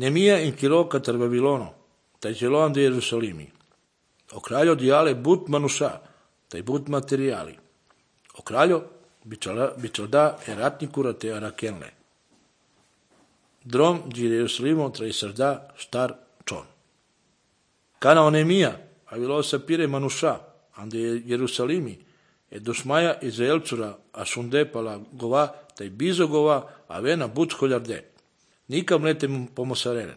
Nemia in Kilo catar Babilono, taj Jeloan de Jerusalimi. O kraljo diale but manusha, taj but materiali. O kraljo bičalda eratnikura te arakenle. Drom de Jerusalimo traisarda star čon. Kana onemia, avilo sapire manusha, ande Jerusalimi, e dosmaja Izraelcura a sunde pala gova, taj bizo gova, a vena but skoljarde. Nikam lete pomosarelen,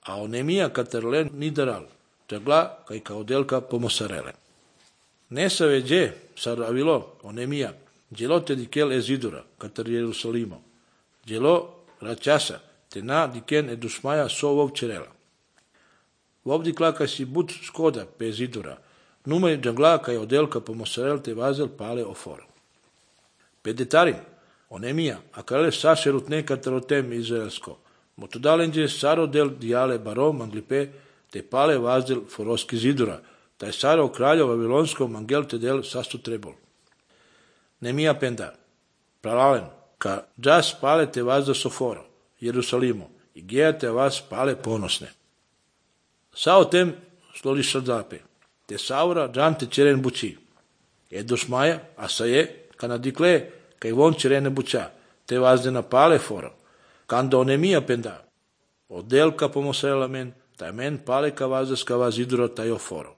a onemia katerlen nidaral, tegla kaj kao delka pomosarelen. Nesave dje, sar avilo, onemia, djelo te dikel ezidura, katar Jerusalimo, djelo račasa, te na diken edusmaja sovov čerela. Vovdi klaka si but skoda pe ezidura, numaj džangla kaj odelka pomosarel te vazel pale oforo. Pedetarim, onemia, a kale sašerut ne katarotem izraelsko, motodalenđe saro del dijale barom anglipe te pale vazel foroski zidura, taj saro kraljo vavilonsko mangel te del sastu trebol. Nemia penda, pralalen, ka džas pale te vazda soforo, Jerusalimo, i geja te vas pale ponosne. Sao tem sloli šardape, te saura džan te čeren bući. Edosmaja, a sa je, kana dikle, kaj von čerene buća, te vazde na pale foro. Kanda onemia penda, odelka pomosrela men, taj men pale ka vazda skava zidura taj oforo.